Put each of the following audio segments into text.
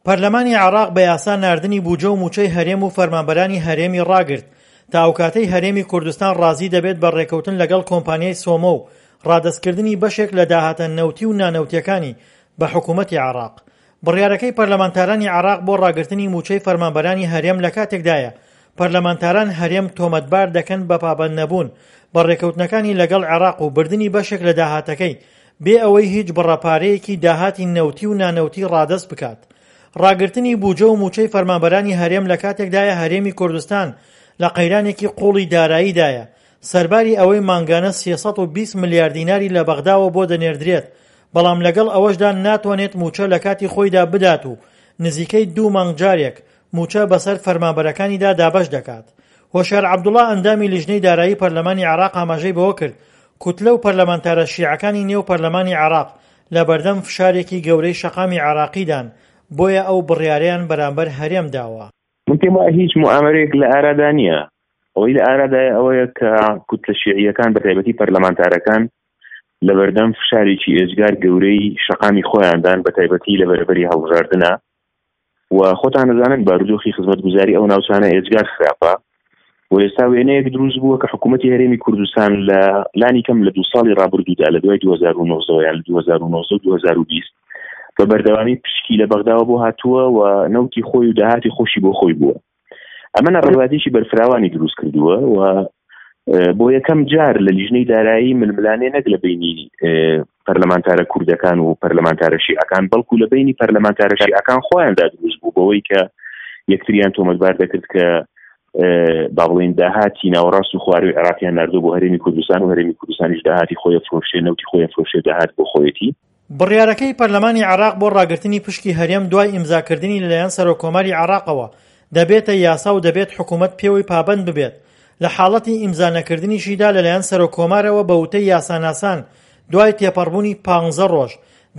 پەرلەمانی عێراق بە یاسا ناردنی بوجە و مووچەی هەرێم و فەرمانبەرانی هەرێمی ڕاگرت تا ئەوکاتەی هەرێمی کوردستان ڕازی دەبێت بە ڕێکەوتن لەگەڵ کۆمپانیای سۆمۆ و ڕادەستکردنی بەشێک لە داهاتە نەوتی و نانەوتیەکانی بە حکوومەتی عێراق. بڕیارەکەی پەرلەمانتارانی عێراق بۆ ڕاگرتنی مووچەی فەرمانبەرانی هەرێم لە کاتێکدایە پەرلەمانتاران هەرێم تۆمەتبار دەکەن بە پابەندنەبوون بە ڕێکەوتنەکانی لەگەڵ عێراق و بردنی بەشێک لە داهاتەکەی بێ ئەوەی هیچ بڕە پارەیەکی داهاتی نەوتی و نانەوتی ڕادەست بکات. ڕاگرتنی بوجە و مووچەی فەرمانبەرانی هەرێم لە کاتێکدایە هەرێمی کوردستان لە قەیرانێکی قووڵی داراییدایە، سەرباری ئەوەی مانگانە 320 ملیار دیناری لە بەغداوە بۆ دەنێردرێت، بەڵام لەگەڵ ئەوەشدا ناتوانێت مووچە لە کاتی خۆیدا بدات و نزیکەی دوو مانگ جارێک مووچە بەسەر فەرمانبەرەکانیدا دابەش دەکات. هۆشیار عەبدوڵا ئەندامی لیژنەی دارایی پەرلەمانی عێراق ئاماژەی بەوە کرد، کوتلە و پەرلەمانتارە شیعەکانی نێو پەرلەمانی عێراق لەبەردەم فشارێکی گەورەی شەقامی عێراقیدان، بۆیە ئەو بڕیارەیان بەرامبەر هەرێم داوە. من پێم وایە هیچ موئامەرەیەک لە ئارادا نییە. ئەوەی لە ئارادایە ئەوەیە کە کوتلە شیعییەکان بە تایبەتی پەرلەمانتارەکان لەبەردەم فشارێکی ئێجگار گەورەی شەقامی خۆیاندان بە تایبەتی لە بەرەبەری هەڵبژاردنە و خۆتان دەزانن بارودۆخی خزمەتگوزاری ئەو ناوچانە ئێجگار خراپە و ئێستا وێنەیەک دروست بووە کە حکوومەتی هەرێمی کوردستان لە لانی کەم لە دو ساڵی ڕابردوودا لە دوای 2009 یان 2009 2020 بە بەردەوامی پشکی لە بەغداوە بۆ هاتووە و نەوتی خۆی و داهاتی خۆشی بۆ خۆی بووە ئەمە ناڕەزایەتیی بەرفراوانی دروست کردووە و بۆ یەکەم جار لە لیژنەی دارایی ململانێ نەک لە بینی پەرلەمانتارە کوردەکان و پەرلەمانتارە شیعەکان بەڵکو لە بینی پەرلەمانتارە شیعەکان خۆیاندا دروست بوو بەوەی کە یەکتریان تۆمەتبار دەکرد کە با بڵێین داهاتی ناوەڕاست و خواروی عێراقیان ناردوو بۆ هەرێمی کوردستان و هەرێمی کوردستانیش داهاتی خۆی فرۆشێ نەوتی خۆی فرۆشێ داهات بۆ خۆیەتی. بڕیارەکەی پەرلەمانی عێراق بۆ ڕاگرتنی پشکی هەرێم دوای ئیمزاکردنی لەلایەن سەرۆککۆماری عێراقەوە دەبێتە یاسا و دەبێت حکومەت پێوەی پابەند ببێت، لە حاڵەتی ئیمزا نەکردنیشیدا لەلایەن سەرۆککۆمارەوە بە وتەی یاساناسان دوای تێپەڕبوونی پانزە ڕۆژ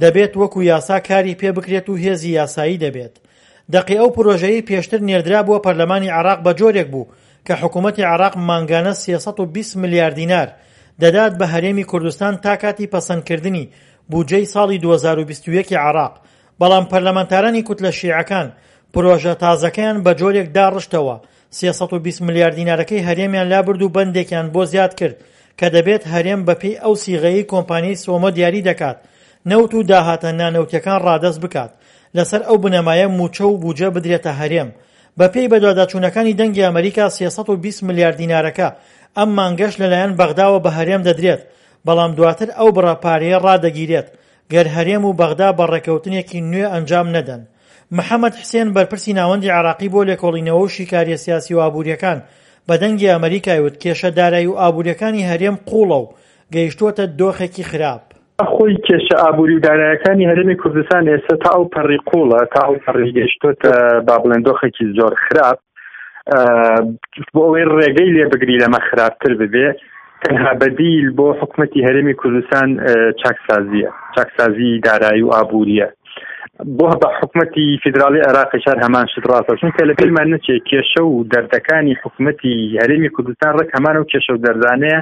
دەبێت وەکو یاسا کاری پێ بکرێت و هێزی یاسایی دەبێت. دەقی ئەو پرۆژەیەی پێشتر نێردرابووە پەرلەمانی عێراق بە جۆرێک بوو کە حکومەتی عێراق مانگانە 320 ملیار دینار دەدات بە هەرێمی کوردستان تا کاتی پەسەندکردنی بودجەی ساڵی 2021 عێراق، بەڵام پەرلەمانتارانی کوتلە شیعەکان پرۆژە تازەکەیان بە جۆرێک داڕشتەوە 320 ملیار دینارەکەی هەرێمیان لابرد و بەندێکیان بۆ زیاد کرد کە دەبێت هەرێم بەپێی ئەو سیغەیەی کۆمپانیای سۆمۆ دیاری دەکات نەوت و داهاتە نانەوتیەکان ڕادەست بکات لەسەر ئەو بنەمایە مووچە و بوجە بدرێتە هەرێم. بەپێی بەدواداچوونەکانی دەنگی ئەمەریکا 320 ملیار دینارەکە ئەم مانگەش لەلایەن بەغداوە بە هەرێم دەدرێت، بەڵام دواتر ئەو بڕە پارەیە ڕادەگیرێت گەر هەرێم و بەغدا بە ڕێککەوتنێکی نوێ ئەنجام نەدەن. محەمەد حسێن بەرپرسی ناوەندی عێراقی بۆ لێکۆڵینەوە و شیکاریە سیاسی و ئابووریەکان بە دەنگی ئەمەریکای وت کێشە دارایی و ئابووریەکانی هەرێم قووڵە و گەیشتووەتە دۆخێکی خراپ. خۆی کێشە ئابووری و دارایەکانی هەرێمی کوردستان ئێستا تا ئەو پەڕی قوڵە تا ئەو پەڕی گەیشتۆتە با بڵێن دۆخێکی زۆر خراپ بۆ ئەوەی ڕێگەی لێ بگری لەمە خراپتر ببێ تەنها بەدیل بۆ حکومەتی هەرێمی کوردستان چاکسازیە چاکسازی دارایی و ئابووریە بۆ بە حکومەتی فیدراڵی عێراقیش هەر هەمان شت ڕاستە چونکە لە بیرمان نەچێت کێشە و دەردەکانی حکومەتی هەرێمی کوردستان ڕێک هەمان و کێشە و دەردانەیە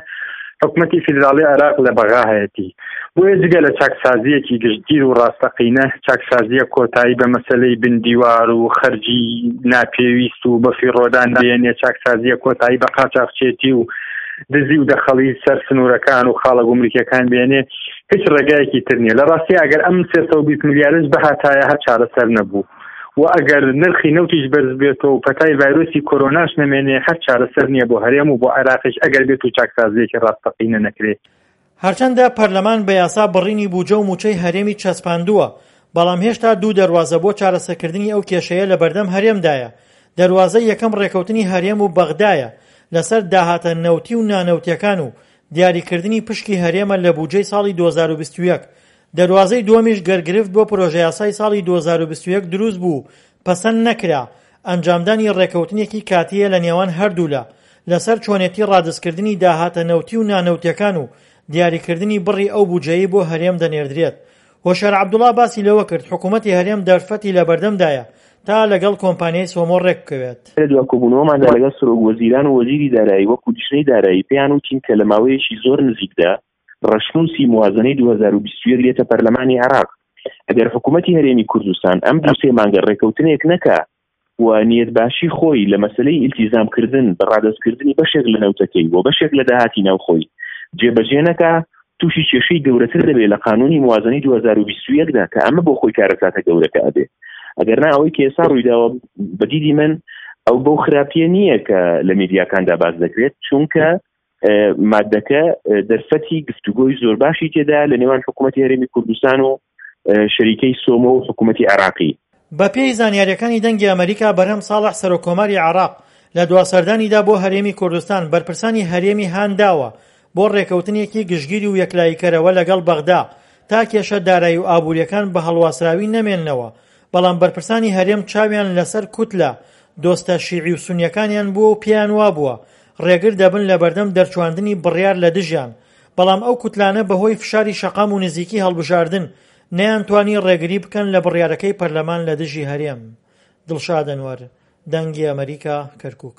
حکومەتی فیدراڵی عێراق لە بەغا هەیەتی بۆیە جگە لە چاکسازیەکی گشتگیر و ڕاستەقینە چاکسازیە کۆتایی بە مەسلەی بندیوار و خەرجی ناپێویست و بەفیڕۆدان بێنێ چاکسازیە کۆتایی بە قاچاخچێتی و دزی و دەخەڵی سەر سنوورەکان و خاڵە گومرکیەکان بێنێ هیچ ڕێگایەکی تر نییە لە ڕاستی ئەگەر ئەم 320 ملیارش بەهاتایە هەر چارەسەر نەبوو و ئەگەر نرخی نەوتیش بەرز بێتەوە و پەتای ڤایرۆسی کۆرۆناش نەمێنێ هەر چارەسەر نییە بۆ هەرێم و بۆ عێراقیش ئەگەر بێت و چاکسازیەکی ڕاستەقینە نەکرێت. هەرچەندە پەرلەمان بە یاسا بڕینی بوجە و موچەی هەرێمی چەسپاندووە، بەڵام هێشتا دوو دەروازە بۆ چارەسەرکردنی ئەو کێشەیە لەبەردەم هەرێمدایە، دەروازەی یەکەم ڕێکەوتنی هەرێم و بەغدایە لەسەر داهاتە نەوتی و نانەوتیەکان و دیاریکردنی پشکی هەرێمە لە بوجەی ساڵی 2021، دەروازەی دووەمیش گەر گرفت بۆ پرۆژەیاسای ساڵی 2021 دروست بوو و پەسەند نەکرا، ئەنجامدانی ڕێکەوتنێکی کاتییە لە نێوان هەردوولا لەسەر چۆنێتی ڕادستکردنی داهاتە نەوتی و نانەوتیەکان و دیاریکردنی بڕی ئەو بوجەیەی بۆ هەرێم دەنێردرێت. هۆشیار عەبدوڵا باسی لەوە کرد، حکومەتی هەرێم دەرفەتی لەبەردەمدایە تا لەگەڵ کۆمپانیای سۆمۆ ڕێکبکەوێت. لە دوا کۆبوونەوەماندا لەگەڵ سەرۆک وەزیران و وەزیری دارایی وەکو لیژنەی دارایی پێیان وتین کە لە ماوەیەکی زۆر نزیکدا ڕەشنووسی موازنەی 2021 دێتە پەرلەمانی عێراق. ئەگەر حکوومەتی هەرێمی کوردستان ئەم دوو سێ مانگە ڕێکەوتنێک نەکا و نیەتباشی خۆی لە مەسەلەی ئیلتیزام کردن بە ڕادەستکردنی بەشێک لە نەوتەکەی و بەشێک لە داهاتی ناوخۆی جێبەجێ نەکا، تووشی کێشەی گەورەتر دەبێ لە قانوونی موازنەی 2021 دا کە ئەمە بۆ خۆی کارەساتە گەورەکە ئەبێ. ئەگەر نا ئەوەی کە ئێستا ڕوویداوە بە دیدی من ئەو بەو خراپیە نییە کە لە میدیاکاندا باس دەکرێت، چونکە مادەکە دەرفەتی گفتوگۆی زۆر باشی تێدا لە نێوان حکوومەتی هەرێمی کوردستان و شەریکەی سۆمۆ و حکوومەتی عێراقی. بەپێی زانیارییەکانی دەنگی ئەمەریکا، بەرهەم ساڵح سەرۆککۆماری عێراق لە دوا سەردانیدا بۆ هەرێمی کوردستان بەرپرسانی هەرێمی هانداوە بۆ ڕێکەوتنێکی گشتگیر و یەکلاییکەرەوە لەگەڵ بەغدا تا کێشە دارایی و ئابوورییەکان بە هەڵواسراوی نەمێننەوە بەڵام بەرپرسانی هەرێم چاویان لەسەر کوتلە دۆستە شیعی و سونیەکانیان بووە و پێیان وابووە ڕێگر دەبن لەبەردەم دەرچواندنی بڕیار لە دژیان، بەڵام ئەو کوتلانە بەهۆی فشاری شەقام و نزیکی هەڵبژاردن نەیانتوانی ڕێگری بکەن لە بڕیارەکەی پەرلەمان لە دژی هەرێم. دڵشاد ئەنوەر، دەنگی ئەمەریکا، کەرکوک.